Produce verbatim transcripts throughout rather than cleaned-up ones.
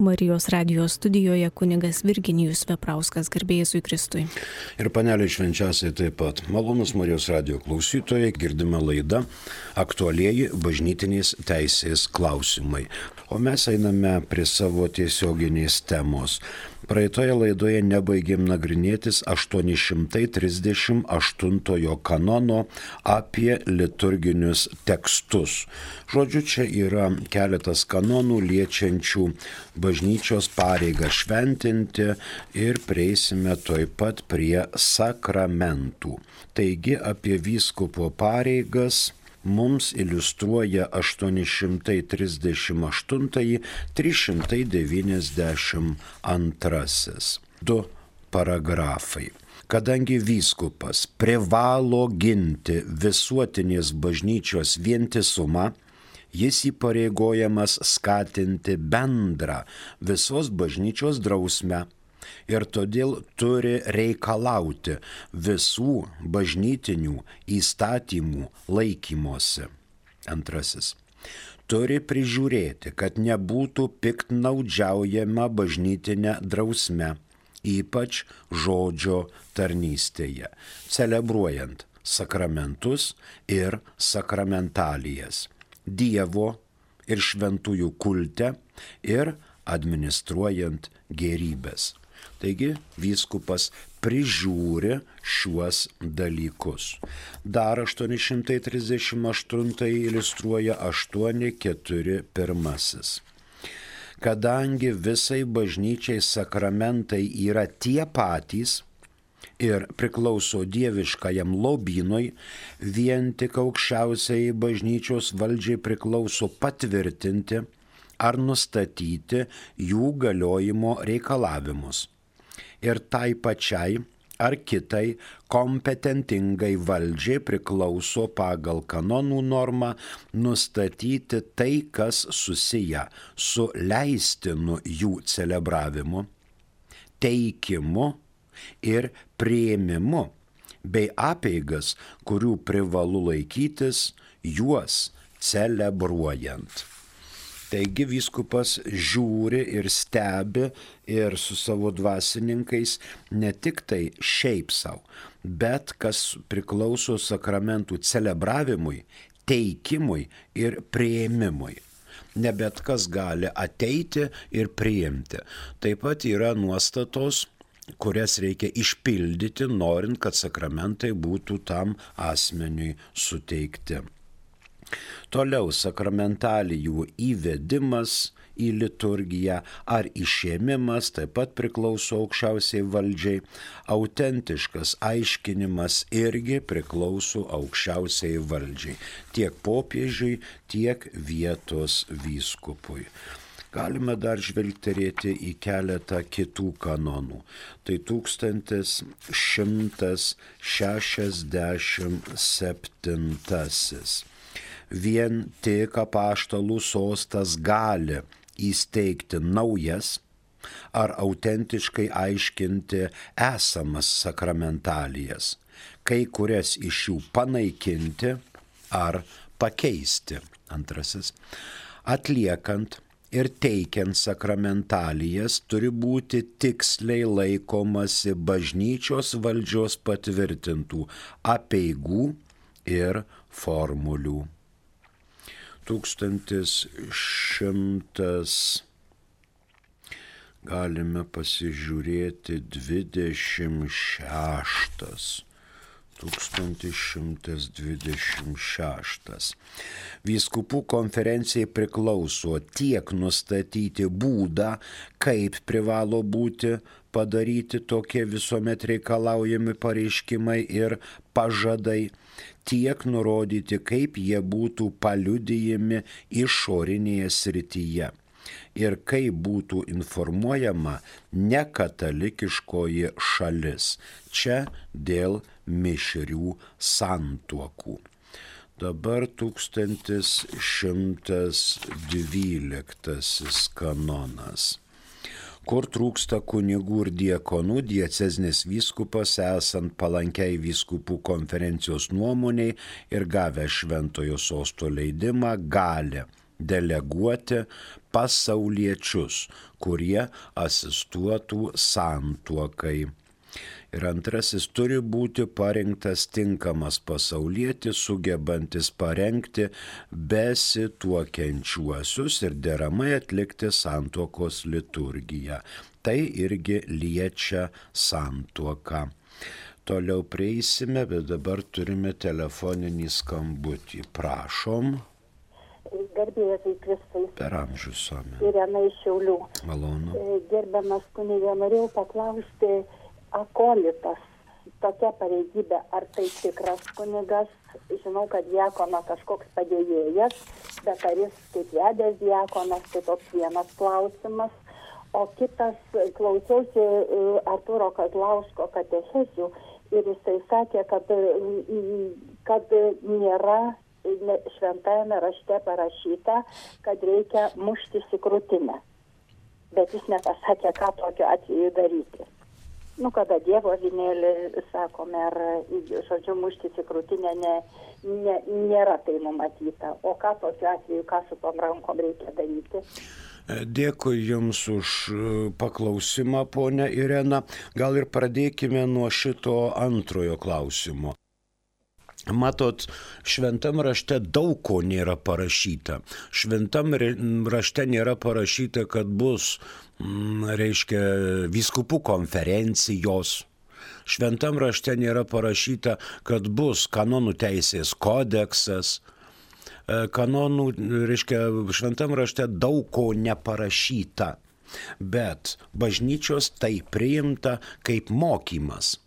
Marijos radijos studijoje kunigas Virginijus Veprauskas, garbė Jėzui Kristui. Ir paneliai švenčiausiai taip pat. Malonus Marijos radijo klausytojai, girdime laidą aktualieji bažnytinės teisės klausimai. O mes einame prie savo tiesioginės temos. Praeitoje laidoje nebaigėm nagrinėtis aštuoni šimtai trisdešimt aštuntojo kanono apie liturginius tekstus. Žodžiu, čia yra keletas kanonų liečiančių bažnyčios pareigą šventinti ir prieisime taip pat prie sakramentų. Taigi apie vyskupo pareigas mums iliustruoja aštuoni šimtai trisdešimt aštuntąjį trys šimtai devyniasdešimt antrasis. Du paragrafai. Kadangi vyskupas privalo ginti visuotinės bažnyčios vientisumą, jis įpareigojamas skatinti bendrą visos bažnyčios drausmę ir todėl turi reikalauti visų bažnytinių įstatymų laikymosi. Antrasis. Turi prižiūrėti, kad nebūtų piktnaudžiaujama bažnytinė drausme, ypač žodžio tarnystėje, celebruojant sakramentus ir sakramentalijas, Dievo ir šventųjų kulte ir administruojant gėrybės. Taigi vyskupas prižiūri šiuos dalykus. Dar aštuoni šimtai trisdešimt aštuntąjį iliustruoja aštuoni keturi pirmasis. Kadangi visai bažnyčiai sakramentai yra tie patys ir priklauso dieviškajam lobynui, vien tik aukščiausiai bažnyčios valdžiai priklauso patvirtinti ar nustatyti jų galiojimo reikalavimus. Ir tai pačiai ar kitai kompetentingai valdžiai priklauso pagal kanonų normą nustatyti tai, kas susiję su leistinu jų celebravimu, teikimu ir priėmimu, bei apeigas, kurių privalu laikytis juos celebruojant. Taigi vyskupas žiūri ir stebi ir su savo dvasininkais ne tik tai šiaip savo, bet kas priklauso sakramentų celebravimui, teikimui ir priėmimui. Ne bet kas gali ateiti ir priimti. Taip pat yra nuostatos, kurias reikia išpildyti, norint, kad sakramentai būtų tam asmeniui suteikti. Toliau sakramentalijų įvedimas į liturgiją ar išėmimas taip pat priklauso aukščiausiai valdžiai. Autentiškas aiškinimas irgi priklauso aukščiausiai valdžiai. Tiek popiežiui, tiek vietos vyskupui. Galime dar žvelgterėti į keletą kitų kanonų. Tai tūkstantis šimtas šešiasdešimt septintasis. Vien tik apaštalų sostas gali įsteigti naujas ar autentiškai aiškinti esamas sakramentalijas, kai kurias iš jų panaikinti ar pakeisti. Antrasis. Atliekant ir teikiant sakramentalijas turi būti tiksliai laikomasi bažnyčios valdžios patvirtintų apeigų ir formulių. Tūkstantis šimtas, galime pasižiūrėti, dvidešimt šeštas. Tūkstantis šimtas dvidešimt šeštas. Vyskupų konferencijai priklauso tiek nustatyti būdą, kaip privalo būti padaryti tokie visuomet reikalaujami pareiškimai ir pažadai, tiek nurodyti, kaip jie būtų paliudijami išorinėje srityje ir kaip būtų informuojama nekatalikiškoji šalis. Čia dėl mišrių santuokų. Dabar tūkstantis šimtas dvyliktasis kanonas. Kur trūksta kunigų ir diakonų, diecezinis vyskupas, esant palankiai vyskupų konferencijos nuomoniai ir gavę šventojo sosto leidimą, gali deleguoti pasauliečius, kurie asistuotų santuokai. Ir antrasis, turi būti parinktas tinkamas pasaulietis, sugebantis parengti besituokiančiuosius ir deramai atlikti santuokos liturgiją. Tai irgi liečia santuoką. Toliau prieisime, bet dabar turime telefoninį skambutį. Prašom. Garbėjai Kristui. Per amžius suomi. Irena iš Šiaulių. Malonu. Gerbiamas kunige, norėjau paklausti, akolitas, tokia pareigybė, ar tai tikras kunigas? Žinau, kad diakono kažkoks padėjėjas, bet ar jis kaip vedęs diakonas, tai toks vienas klausimas. O kitas, klausiausi Artūro Kazlausko katechezių ir jisai sakė, kad, kad nėra šventajame rašte parašyta, kad reikia muštis į krūtinę. Bet jis nepasakė, ką tokiu atveju daryti. Nu, kada Dievo avinėlį, sakome, ar, žodžiu, muštis į krūtinę ne, ne, nėra tai numatyta. O ką tokiu atveju, ką su tom rankom reikia daryti? Dėkui Jums už paklausimą, ponia Irena. Gal ir pradėkime nuo šito antrojo klausimo. Matot, šventam rašte daug ko nėra parašyta. Šventam rašte nėra parašyta, kad bus, reiškia, vyskupų konferencijos. Šventam rašte nėra parašyta, kad bus kanonų teisės kodeksas. Kanonų, reiškia, šventam rašte daug ko neparašyta, bet bažnyčios tai priimta kaip mokymas.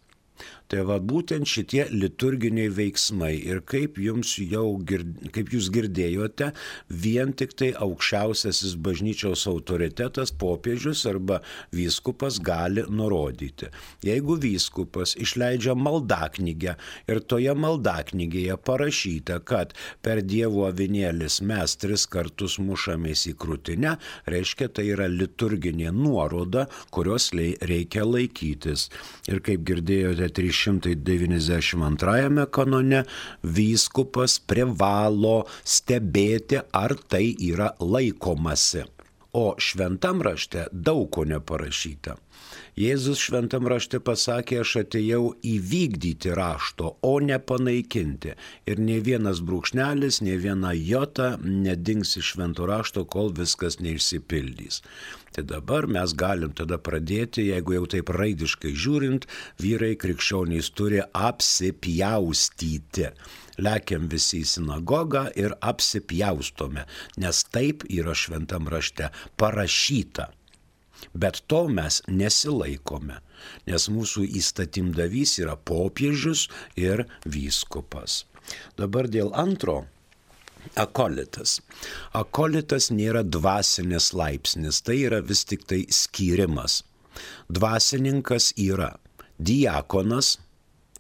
Tai va būtent šitie liturginiai veiksmai ir kaip, jums jau, kaip jūs girdėjote, vien tik tai aukščiausiasis bažnyčios autoritetas, popiežius arba vyskupas gali nurodyti. Jeigu vyskupas išleidžia maldaknygę ir toje maldaknygėje parašyta, kad per Dievo avinėlis mes tris kartus mušamės į krūtinę, reiškia tai yra liturginė nuoroda, kurios reikia laikytis. Ir kaip girdėjote, trys šimtai devyniasdešimt antrajame kanone vyskupas privalo stebėti, ar tai yra laikomasi. O šventam rašte daug ko neparašyta. Jėzus šventam rašte pasakė, aš atėjau įvykdyti rašto, o ne panaikinti. Ir nei vienas brūkšnelis, nei viena jota nedings iš švento rašto, kol viskas neišsipildys. Tai dabar mes galim tada pradėti, jeigu jau taip raidiškai žiūrint, vyrai krikščionys turi apsipjaustyti. Lekiam visi į sinagogą ir apsipjaustome, nes taip yra šventam rašte parašyta. Bet to mes nesilaikome, nes mūsų įstatymdavys yra popiežius ir vyskupas. Dabar dėl antro. Akolitas. Akolitas nėra dvasinis laipsnis, tai yra vis tik tai skyrimas. Dvasininkas yra diakonas,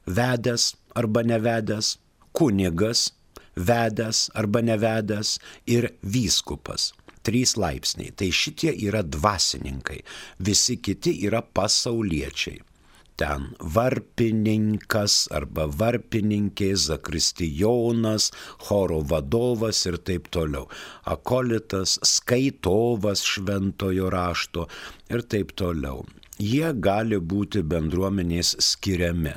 vedęs arba nevedęs, kunigas, vedęs arba nevedęs ir vyskupas. Trys laipsniai. Tai šitie yra dvasininkai, visi kiti yra pasauliečiai. Ten varpininkas arba varpininkė, zakristijonas, choro vadovas ir taip toliau. Akolitas, skaitovas šventojo rašto ir taip toliau. Jie gali būti bendruomenės skiriami.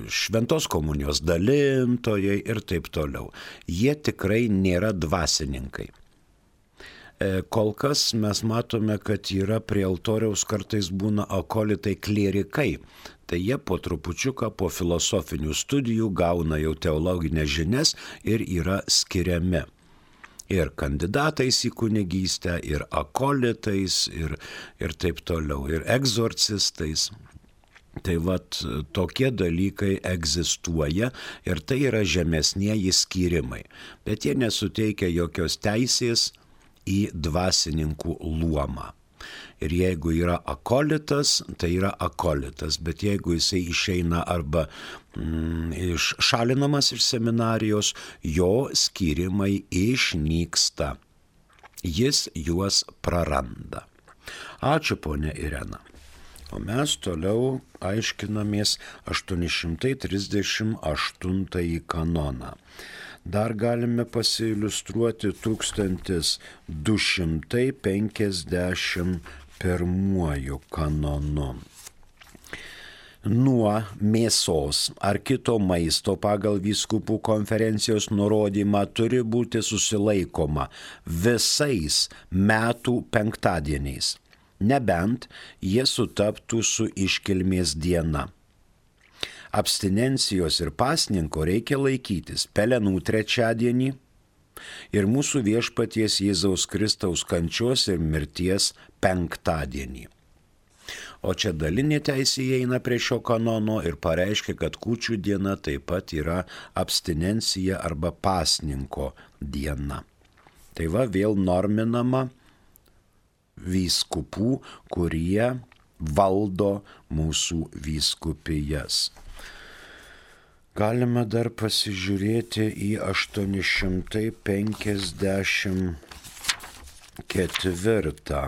Šventos komunijos dalintojai ir taip toliau. Jie tikrai nėra dvasininkai. Kol kas mes matome, kad yra prie altoriaus kartais būna akolitai klierikai. Tai jie po trupučiuką po filosofinių studijų gauna jau teologinės žinias ir yra skiriami. Ir kandidatais į kunigystę, ir akolitais, ir, ir taip toliau, ir egzorcistais. Tai vat tokie dalykai egzistuoja ir tai yra žemesnieji skyrimai. Bet jie nesuteikia jokios teisės į dvasininkų luomą. Ir jeigu yra akolitas, tai yra akolitas, bet jeigu jisai išeina arba mm, iššalinamas iš seminarijos, jo skyrimai išnyksta. Jis juos praranda. Ačiū, ponia Irena. O mes toliau aiškinamės aštuoni šimtai trisdešimt aštuntąjį kanoną. dar galime pasiiliustruoti tūkstantis du šimtai penkiasdešimt pirmuoju kanonu. Nuo mėsos ar kito maisto pagal vyskupų konferencijos nurodymą turi būti susilaikoma visais metų penktadieniais, nebent jie sutaptų su iškilmės diena. Abstinencijos ir pasninko reikia laikytis pelenų trečiadienį ir mūsų viešpaties Jėzaus Kristaus kančios ir mirties penktadienį. O čia dalinė teisė įeina prie šio kanono ir pareiškia, kad kūčių diena taip pat yra abstinencija arba pasninko diena. Tai va vėl norminama vyskupų, kurie valdo mūsų vyskupijas. Galime dar pasižiūrėti į aštuoni šimtai penkiasdešimt ketvirtą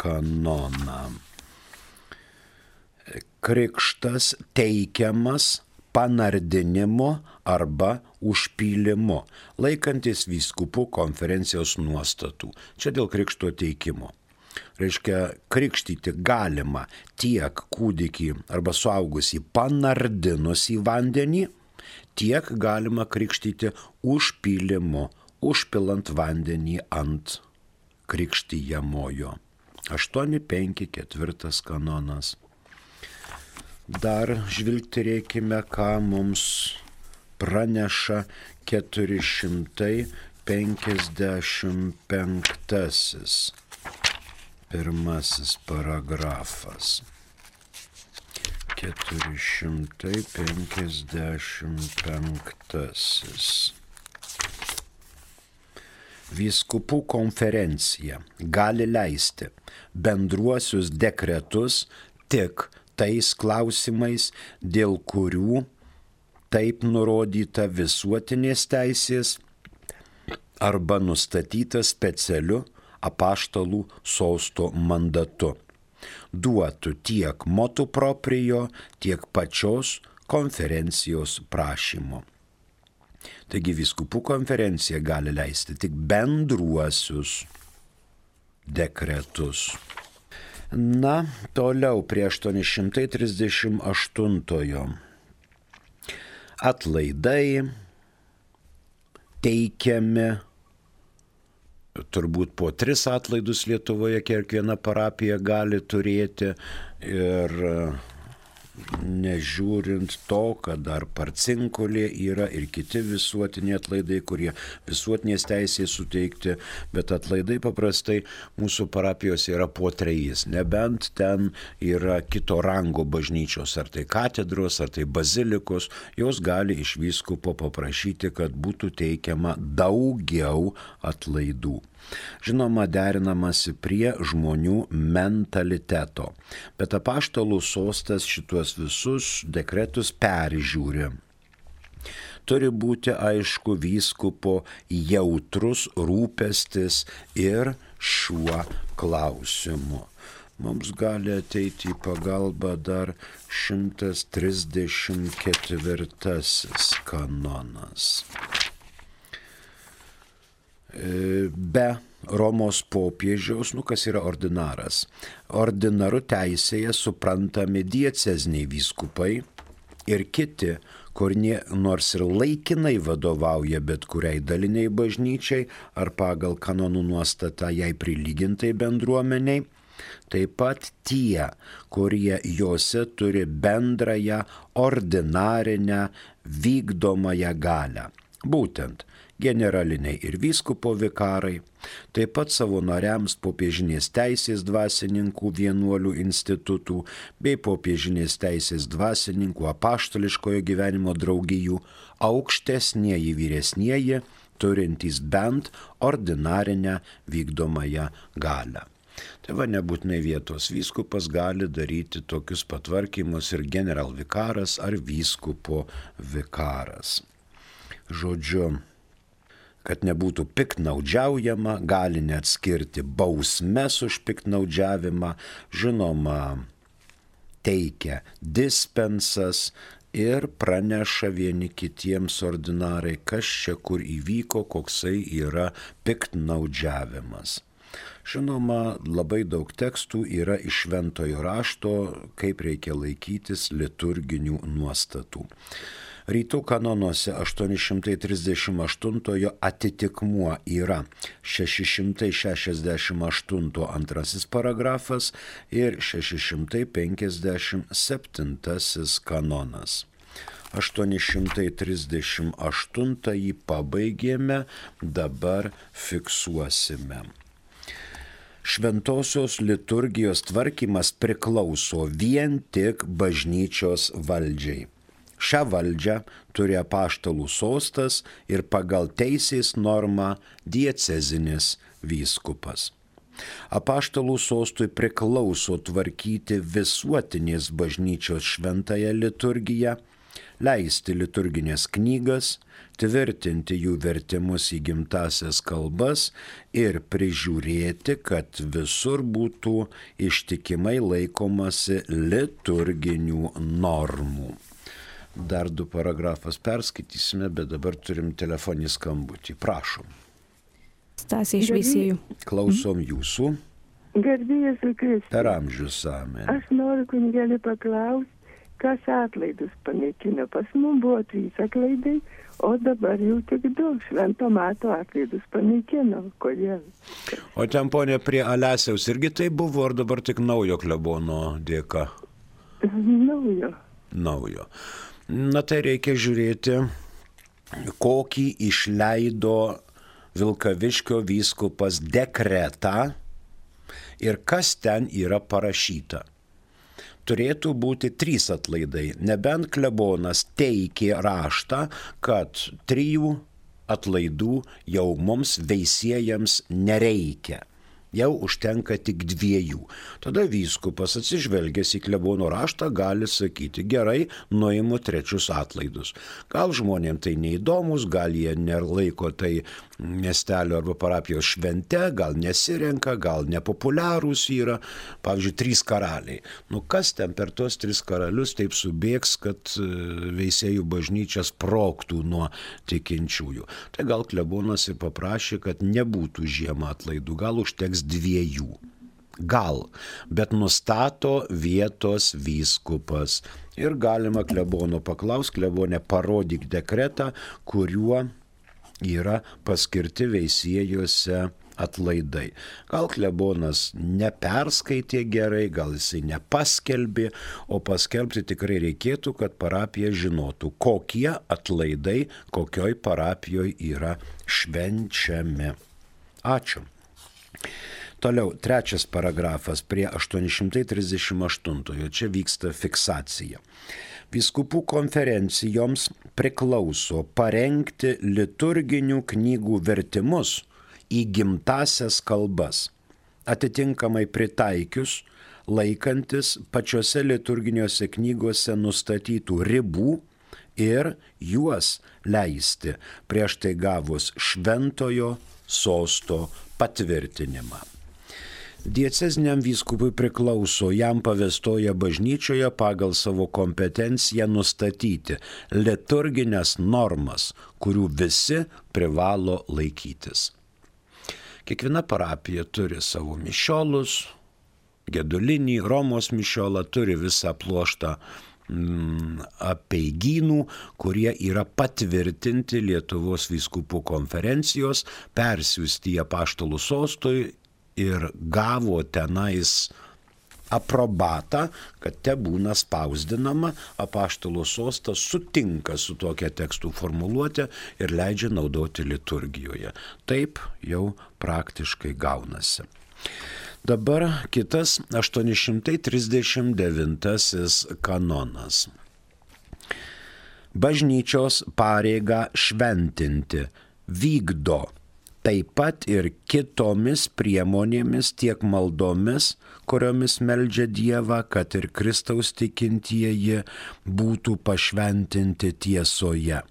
kanoną. Krikštas teikiamas panardinimu arba užpylimu, laikantis vyskupų konferencijos nuostatų. Čia dėl krikšto teikimo. Reiškia, krikštyti galima tiek kūdikį arba suaugusį panardinus į vandenį, tiek galima krikštyti užpylimu, užpilant vandenį ant krikštijamojo. aštuoni penki ketvirtas kanonas. Dar žvilgterėkime, ką mums praneša keturi šimtai penkiasdešimt penktasis pirmasis paragrafas. keturi šimtai penkiasdešimt penktasis. Vyskupų konferencija gali leisti bendruosius dekretus tik tais klausimais, dėl kurių taip nurodyta visuotinės teisės arba nustatyta specialiu apaštalų sosto mandatu. Duotų tiek motu proprio, tiek pačios konferencijos prašymo. Taigi vyskupų konferencija gali leisti tik bendruosius dekretus. Na, toliau prie aštuoni šimtai trisdešimt aštuntojo. Atlaidai teikiami, turbūt po tris atlaidus Lietuvoje kiekviena parapija gali turėti ir nežiūrint to, kad dar Parcinkolė yra ir kiti visuotiniai atlaidai, kurie visuotinės teisės suteikti, bet atlaidai paprastai mūsų parapijos yra po trejais, nebent ten yra kito rango bažnyčios, ar tai katedros, ar tai bazilikos, jos gali iš vyskupo paprašyti, kad būtų teikiama daugiau atlaidų. Žinoma, derinamasi prie žmonių mentaliteto, bet apaštalų sostas šituos visus dekretus peržiūri. Turi būti aišku vyskupo jautrus rūpestis ir šiuo klausimu. Mums gali ateiti į pagalbą dar šimtas trisdešimt ketvirtasis kanonas. Be Romos popiežiaus, nu kas yra ordinaras. Ordinaru teisėje suprantami dieceziniai vyskupai ir kiti, kur nors ir laikinai vadovauja bet kuriai daliniai bažnyčiai ar pagal kanonų nuostatą jai prilygintai bendruomeniai, taip pat tie, kurie jose turi bendrąją ordinarinę vykdomąją galią. Būtent generaliniai ir vyskupo vikarai, taip pat savo nariams popiežinės teisės dvasininkų vienuolių institutų bei popiežinės teisės dvasininkų apaštališkojo gyvenimo draugijų aukštesnieji vyresnieji, turintys bent ordinarinę vykdomąją galią. Tai va, nebūtinai vietos vyskupas gali daryti tokius patvarkymus ir generalvikaras ar vyskupo vikaras. Žodžiu, kad nebūtų piktnaudžiaujama, gali net skirti bausmes už piktnaudžiavimą, žinoma, teikia dispensas, ir praneša vieni kitiems ordinarai, kas čia kur įvyko, koksai yra piktnaudžiavimas. Žinoma, labai daug tekstų yra iš šventojo rašto, kaip reikia laikytis liturginių nuostatų. Rytų kanonuose aštuoni šimtai trisdešimt aštuntojo atitikmuo yra šeši šimtai šešiasdešimt aštunto antrasis paragrafas ir šeši šimtai penkiasdešimt septintasis kanonas. aštuoni šimtai trisdešimt aštuntąjį pabaigėme, dabar fiksuosime. Šventosios liturgijos tvarkymas priklauso vien tik bažnyčios valdžiai. Šią valdžią turi apaštalų sostas ir pagal teisės normą diecezinis vyskupas. Apaštalų sostui priklauso tvarkyti visuotinės bažnyčios šventąją liturgiją, leisti liturginės knygas, tvirtinti jų vertimus į gimtasias kalbas ir prižiūrėti, kad visur būtų ištikimai laikomasi liturginių normų. Dar du paragrafas perskaitysime, bet dabar turim telefoninį skambutį. Prašom. Stasė iš Veisiejų. Klausom jūsų. Garbėjas Kristus. Per amžius amen. Aš noriu kunigėlį paklausti, kas atlaidus panaikino. Pas mums buvo trys atlaidai, o dabar jau tik du švento mato atlaidus panaikino. Kodėl? O ten, ponė, prie Alesiaus irgi tai buvo, ar dabar tik naujo klebono dėka? Naujo. Naujo. Na tai reikia žiūrėti, kokį išleido Vilkaviškio vyskupas dekretą ir kas ten yra parašyta. Turėtų būti trys atlaidai, nebent klebonas teikė raštą, kad trijų atlaidų jau mums veisiejams nereikia. Jau užtenka tik dviejų. Tada vyskupas atsižvelgęs į klebono raštą gali sakyti, gerai, nuimu trečius atlaidus. Gal žmonėms tai neįdomus, gal jie nelaiko tai miestelio arba parapijos švente, gal nesirenka, gal nepopuliarūs yra. Pavyzdžiui, trys karaliai. Nu kas ten per tos tris karalius taip subėgs, kad Veisiejų bažnyčia sprogtų nuo tikinčiųjų. Tai gal klebonas ir paprašė, kad nebūtų žiemą atlaidų, gal užteks dviejų. Gal, bet nustato vietos vyskupas. Ir galima klebono paklaus, klebone parodyk dekretą, kuriuo yra paskirti Veisiejuose atlaidai. Gal klebonas neperskaitė gerai, gal jisai nepaskelbė, o paskelbti tikrai reikėtų, kad parapija žinotų, kokie atlaidai kokioj parapijoje yra švenčiami. Ačiū. Toliau, trečias paragrafas prie aštuoni šimtai trisdešimt aštuntojo. Čia vyksta fiksacija. Vyskupų konferencijoms priklauso parengti liturginių knygų vertimus į gimtasias kalbas, atitinkamai pritaikius, laikantis pačiose liturginiuose knygose nustatytų ribų ir juos leisti prieš tai gavus šventojo sosto patvirtinimą. Dieceziniam vyskupui priklauso jam pavestoje bažnyčioje pagal savo kompetenciją nustatyti liturginės normas, kurių visi privalo laikytis. Kiekviena parapija turi savo mišiolus, gedulinį, Romos mišiolą, turi visą pluoštą mm, apeigynų, kurie yra patvirtinti Lietuvos vyskupų konferencijos, persiųsti į apaštalų sostui ir gavo tenais aprobatą, kad te būna spausdinama, apaštalų sostas sutinka su tokia tekstų formuluotė ir leidžia naudoti liturgijoje. Taip jau praktiškai gaunasi. Dabar kitas aštuoni šimtai trisdešimt devintasis kanonas. Bažnyčios pareigą šventinti vykdo taip pat ir kitomis priemonėmis, tiek maldomis, kuriomis meldžia Dievą, kad ir Kristaus tikintieji būtų pašventinti tiesoje,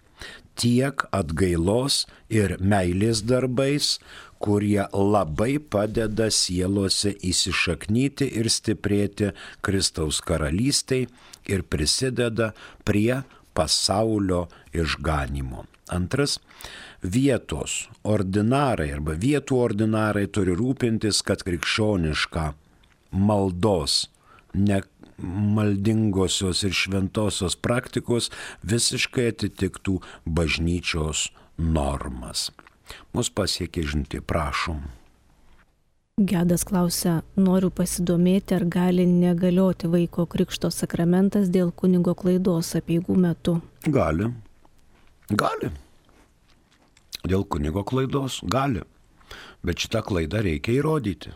tiek atgailos ir meilės darbais, kurie labai padeda sielose įsišaknyti ir stiprėti Kristaus karalystei ir prisideda prie pasaulio išganimo. Antras, vietos ordinarai arba vietų ordinarai turi rūpintis, kad krikščioniška maldos, ne maldingosios ir šventosios praktikos visiškai atitiktų bažnyčios normas. Mus pasiekė žinutė, prašom. Gedas klausia, noriu pasidomėti, ar gali negalioti vaiko krikšto sakramentas dėl kunigo klaidos apeigų metu. Gali. Gali. Dėl kunigo klaidos gali. Bet šitą klaidą reikia įrodyti.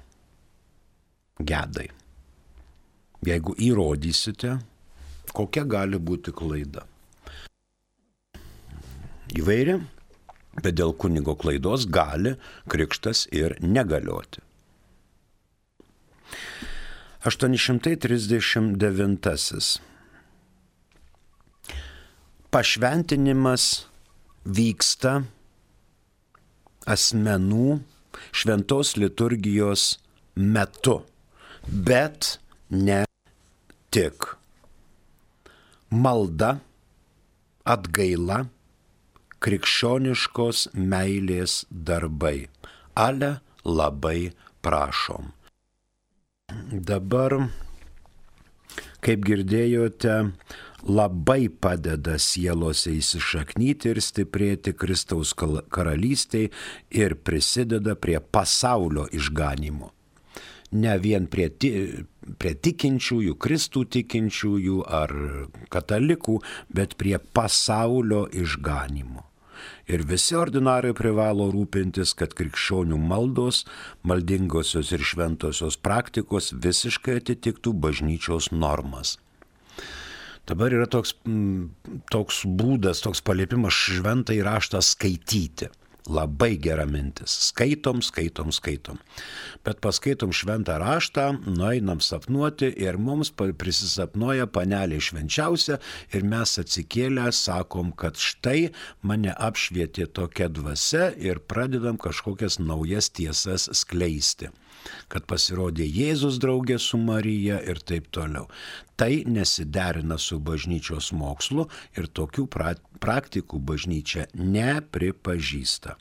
Gedai. Jeigu įrodysite, kokia gali būti klaida. Įvairi, bet dėl kunigo klaidos gali krikštas ir negalioti. aštuoni šimtai trisdešimt devintasis. Pašventinimas vyksta asmenų šventos liturgijos metu, bet ne tik. Malda, atgaila, krikščioniškos meilės darbai. Ale labai prašom. Dabar, kaip girdėjote, labai padeda sielose įsišaknyti ir stiprėti Kristaus karalystei ir prisideda prie pasaulio išganimo. Ne vien prie, prie tikinčiųjų, Kristų tikinčiųjų ar katalikų, bet prie pasaulio išganimo. Ir visi ordinarai privalo rūpintis, kad krikščionių maldos, maldingosios ir šventosios praktikos visiškai atitiktų bažnyčios normas. Dabar yra toks, toks būdas, toks paliepimas šventąjį raštą skaityti. Labai gera mintis. Skaitom, skaitom, skaitom. Bet paskaitom šventą raštą, nueinam sapnuoti ir mums prisisapnuoja panelė švenčiausia ir mes atsikėlę sakom, kad štai mane apšvietė tokia dvasia ir pradedam kažkokias naujas tiesas skleisti. Kad pasirodė Jėzus draugė su Marija ir taip toliau. Tai nesiderina su bažnyčios mokslu ir tokių pra- praktikų bažnyčia nepripažįsta.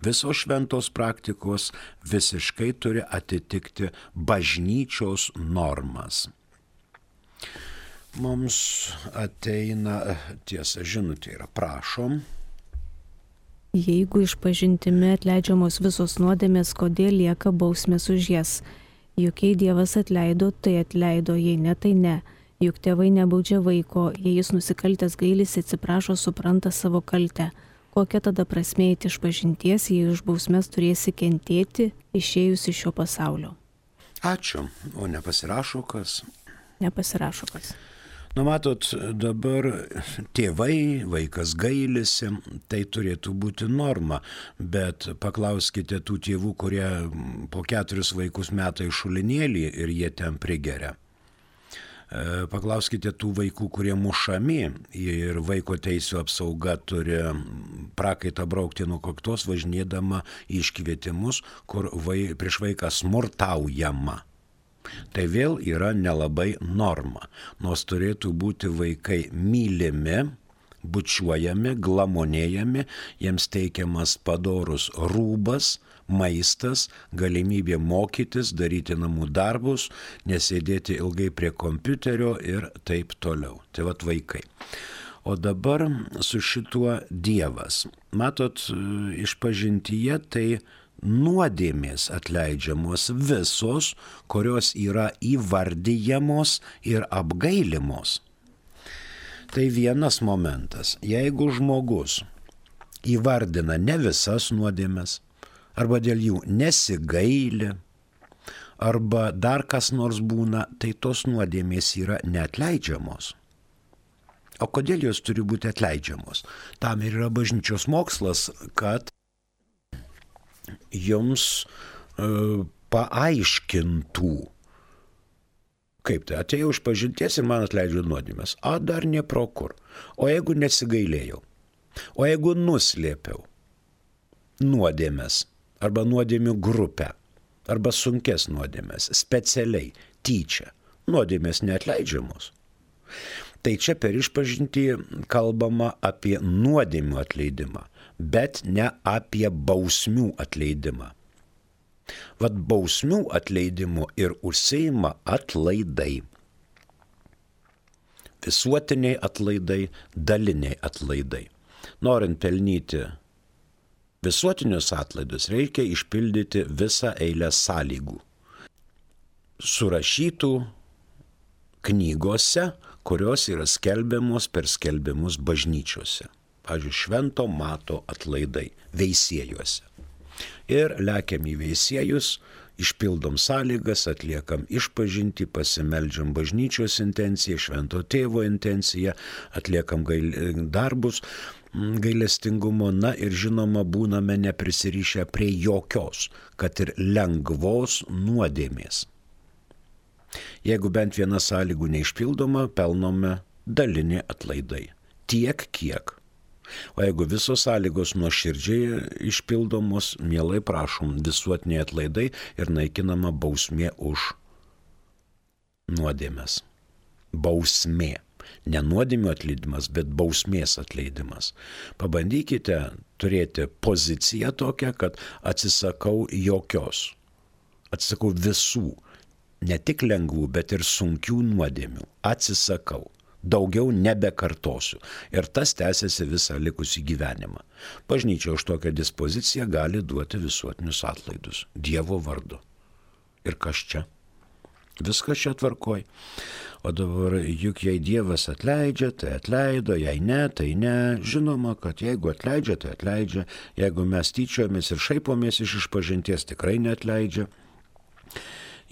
Visos šventos praktikos visiškai turi atitikti bažnyčios normas. Mums ateina, tiesa, žinutė yra, prašom. Jeigu išpažintimi atleidžiamos visos nuodėmės, kodėl lieka bausmės už jas? Juk jei Dievas atleido, tai atleido, jei ne, tai ne. Juk tėvai nebaudžia vaiko, jei jis nusikaltęs gailisi, atsiprašo, supranta savo kaltę. Kokia tada prasmė eiti išpažinties, jei už bausmes turėsi kentėti, išėjus iš šio pasaulio? Ačiū. O nepasirašo kas? Nepasirašo kas. Nu, matot, dabar tėvai, vaikas gailisi, tai turėtų būti norma, bet paklauskite tų tėvų, kurie po keturis vaikus meta į šulinėlį ir jie ten prigeria. Paklauskite tų vaikų, kurie mušami ir vaiko teisų apsauga turi prakaitą braukti nuo kaktos, važinėdama į iškvietimus, kur vai, prieš vaiką smurtaujama. Tai vėl yra nelabai norma, nors turėtų būti vaikai mylimi, bučiuojami, glamonėjami, jiems teikiamas padorus rūbas, maistas, galimybė mokytis, daryti namų darbus, nesėdėti ilgai prie kompiuterio ir taip toliau. Tai vat vaikai. O dabar su šituo Dievas. Matot, išpažintyje tai nuodėmės atleidžiamos visos, kurios yra įvardyjamos ir apgailimos. Tai vienas momentas. Jeigu žmogus įvardina ne visas nuodėmes, arba dėl jų nesigaili, arba dar kas nors būna, tai tos nuodėmės yra neatleidžiamos. O kodėl jos turi būti atleidžiamos? Tam ir yra bažnyčios mokslas, kad jums uh, paaiškintų, kaip tai atėjau iš pažinties ir man atleidžia nuodėmės. A, dar ne pro kur. O jeigu nesigailėjau, o jeigu nuslėpiau nuodėmės, arba nuodėmių grupę, arba sunkes nuodėmės, specialiai, tyčia, nuodėmės neatleidžiamos. Tai čia per išpažintį kalbama apie nuodėmių atleidimą, bet ne apie bausmių atleidimą. Vat bausmių atleidimu ir užsiima atlaidai. Visuotiniai atlaidai, daliniai atlaidai. Norint pelnyti visuotinius atlaidus, reikia išpildyti visą eilę sąlygų, surašytų knygose, kurios yra skelbiamos per skelbimus bažnyčiose. Pavyzdžiui, Švento Mato atlaidai veisiejuose. Ir lekiam į veisiejus, išpildom sąlygas, atliekam išpažintį, pasimeldžiam bažnyčios intenciją, Švento Tėvo intenciją, atliekam gail... darbus gailestingumo, na ir žinoma būname neprisirišę prie jokios, kad ir lengvos nuodėmės. Jeigu bent viena sąlygų neišpildoma, pelnome dalinį atlaidai. Tiek kiek. O jeigu visos sąlygos nuoširdžiai išpildomos, mielai prašom visuotiniai atlaidai ir naikinama bausmė už nuodėmes. Bausmė. Ne nuodėmių atleidimas, bet bausmės atleidimas. Pabandykite turėti poziciją tokią, kad atsisakau jokios. Atsisakau visų. Ne tik lengvų, bet ir sunkių nuodėmių. Atsisakau. Daugiau nebekartosiu. Ir tas tęsiasi visą likusį gyvenimą. Bažnyčia už tokią dispoziciją gali duoti visuotinius atlaidus. Dievo vardu. Ir kas čia? Viskas čia tvarkoj. O dabar juk jei Dievas atleidžia, tai atleido, jei ne, tai ne. Žinoma, kad jeigu atleidžia, tai atleidžia. Jeigu mes tyčiojamės ir šaipomės iš išpažinties, tikrai neatleidžia.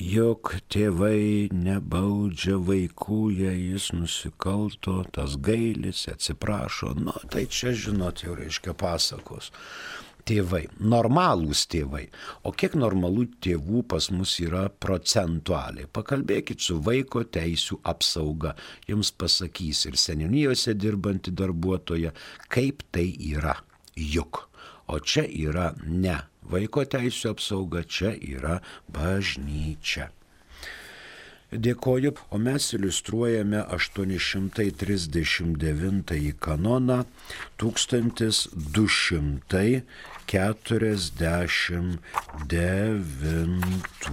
Juk tėvai nebaudžia vaikų, jei jis nusikalto, tas gailis, atsiprašo. Nu, tai čia, žinot, jau reiškia pasakos. Tėvai, normalūs tėvai. O kiek normalų tėvų pas mus yra procentualiai? Pakalbėkit su vaiko teisių apsauga. Jums pasakys ir seniūnijose dirbanti darbuotoja, kaip tai yra. Juk. O čia yra ne vaiko teisių apsauga, čia yra bažnyčia. Dėkoju, o mes iliustruojame aštuoni šimtai trisdešimt devintąjį kanoną tūkstantis du šimtai keturiasdešimt devintuoju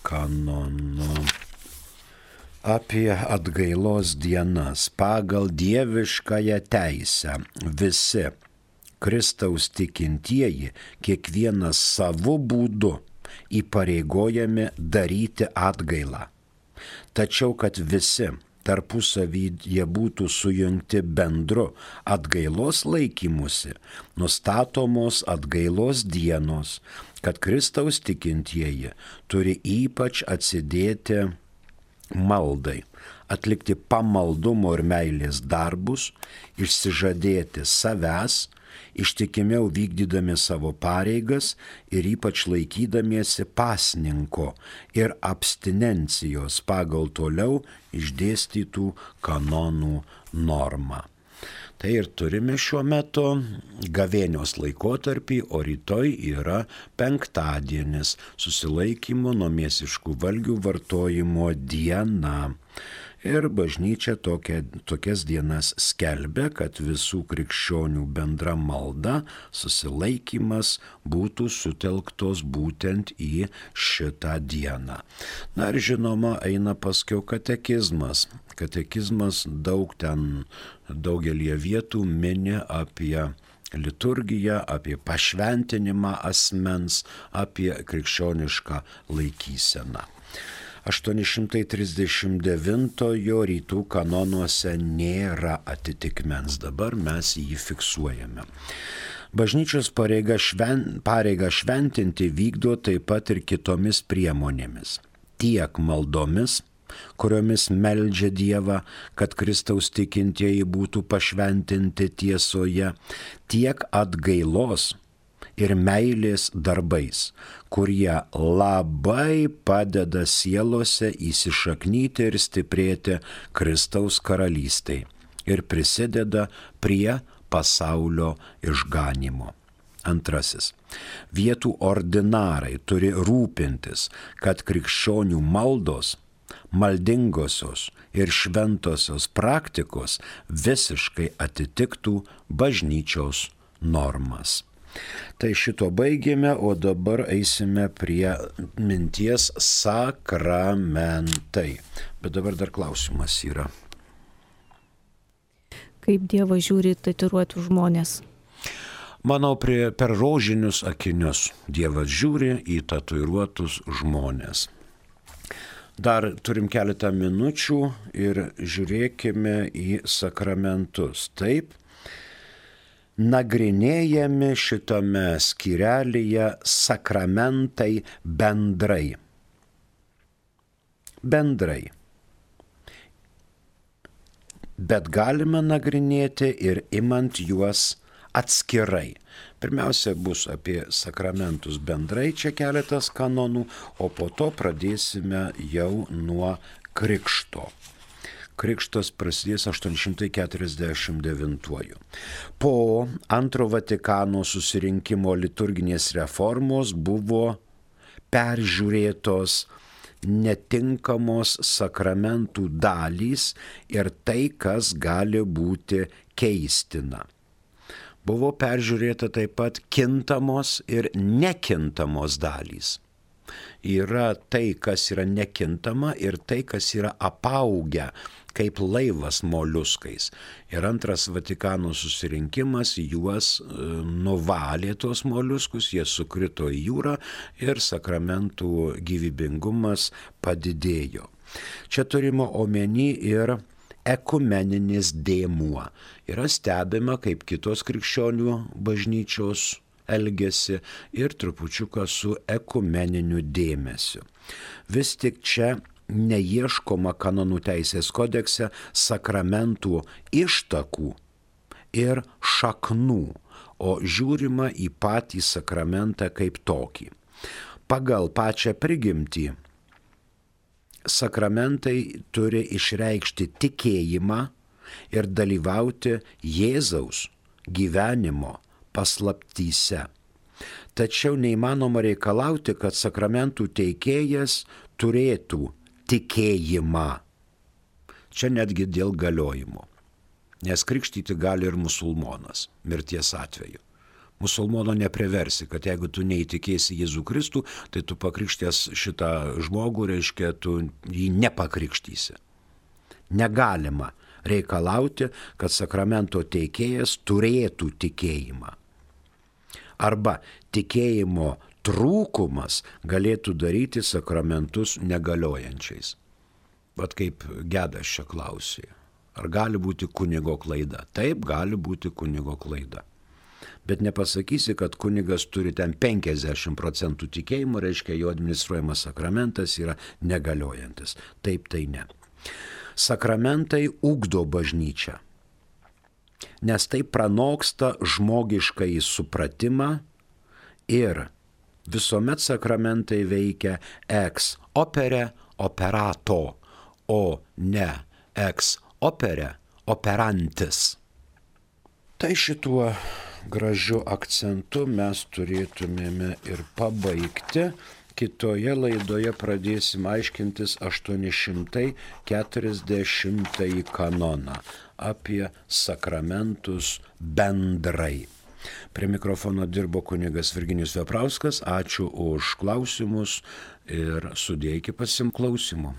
kanonu. Apie atgailos dienas pagal dieviškąją teisę visi Kristaus tikintieji kiekvienas savo būdu įpareigojami daryti atgailą. Tačiau, kad visi tarpusavyje būtų sujungti bendru atgailos laikymusi, nustatomos atgailos dienos, kad Kristaus tikintieji turi ypač atsidėti maldai, atlikti pamaldumo ir meilės darbus, išsižadėti savęs, ištikimiau vykdydami savo pareigas ir ypač laikydamiesi pasninko ir abstinencijos pagal toliau išdėstytų kanonų normą. Tai ir turime šiuo metu gavėnios laikotarpį, o rytoj yra penktadienis, susilaikymo nuo mėsiškų valgių vartojimo diena. Ir bažnyčia tokia, tokias dienas skelbia, kad visų krikščionių bendra malda, susilaikymas būtų sutelktos būtent į šitą dieną. Na ir žinoma, eina paskiau katekizmas. Katekizmas daug ten, daugelie vietų mini apie liturgiją, apie pašventinimą asmens, apie krikščionišką laikyseną. aštuoni šimtai trisdešimt devintojo rytų kanonuose nėra atitikmens, dabar mes jį fiksuojame. Bažnyčios pareiga, šven, pareiga šventinti vykdo taip pat ir kitomis priemonėmis. Tiek maldomis, kuriomis meldžia Dievą, kad Kristaus tikintieji būtų pašventinti tiesoje, tiek atgailos ir meilės darbais, kurie labai padeda sielose įsišaknyti ir stiprėti Kristaus karalystei ir prisideda prie pasaulio išganymo. Antrasis. Vietų ordinarai turi rūpintis, kad krikščionių maldos, maldingosios ir šventosios praktikos visiškai atitiktų bažnyčios normas. Tai šito baigėme, o dabar eisime prie minties sakramentai. Bet dabar dar klausimas yra. Kaip Dievas žiūri tatuiruotų žmonės? Manau, prie, per rožinius akinius Dievas žiūri į tatuiruotus žmonės. Dar turim keletą minučių ir žiūrėkime į sakramentus. Taip, nagrinėjami šitame skyrelyje sakramentai bendrai. Bendrai. Bet galima nagrinėti ir imant juos atskirai. Pirmiausia bus apie sakramentus bendrai, čia keletas kanonų, o po to pradėsime jau nuo krikšto. Krikštas prasidės aštuoni šimtai keturiasdešimt devintuoju. Po antro Vatikano susirinkimo liturginės reformos buvo peržiūrėtos netinkamos sakramentų dalys ir tai, kas gali būti keistina. Buvo peržiūrėta taip pat kintamos ir nekintamos dalys. Yra tai, kas yra nekintama ir tai, kas yra apaugę kaip laivas moliuskais. Ir antras Vatikano susirinkimas juos nuvalė tos moliuskus, jie sukrito į jūrą ir sakramentų gyvybingumas padidėjo. Čia turime omeny ir ekumeninis dėmuo. Yra stebima, kaip kitos krikščionių bažnyčios elgesi ir trupučiuką su ekumeniniu dėmesiu. Vis tik čia neieškoma kanonų teisės kodekse sakramentų ištakų ir šaknų, o žiūrima į patį sakramentą kaip tokį. Pagal pačią prigimtį sakramentai turi išreikšti tikėjimą ir dalyvauti Jėzaus gyvenimo paslaptyse. Tačiau neįmanoma reikalauti, kad sakramentų teikėjas turėtų tikėjimą. Čia netgi dėl galiojimo. Nes krikštyti gali ir musulmonas mirties atveju. Musulmono nepriversi, kad jeigu tu neįtikėsi Jėzų Kristų, tai tu pakrikštės šitą žmogų, reiškia, tu jį nepakrikštysi. Negalima reikalauti, kad sakramento teikėjas turėtų tikėjimą. Arba tikėjimo trūkumas galėtų daryti sakramentus negaliojančiais. Vat kaip Gedas čia klausė. Ar gali būti kunigo klaida? Taip, gali būti kunigo klaida. Bet nepasakysi, kad kunigas turi ten penkiasdešimt procentų tikėjimo, reiškia, jo administruojamas sakramentas yra negaliojantis. Taip, tai ne. Sakramentai ugdo bažnyčią, nes tai pranoksta žmogiškąjį supratimą ir visuomet sakramentai veikia ex opere operato, o ne ex opere operantis. Tai šituo gražiu akcentu mes turėtumėme ir pabaigti. Kitoje laidoje pradėsim aiškintis aštuoni šimtai keturiasdešimtąjį kanoną apie sakramentus bendrai. Prie mikrofono dirbo kunigas Virginijus Veprauskas. Ačiū už klausimus ir sudie iki pasiklausimo.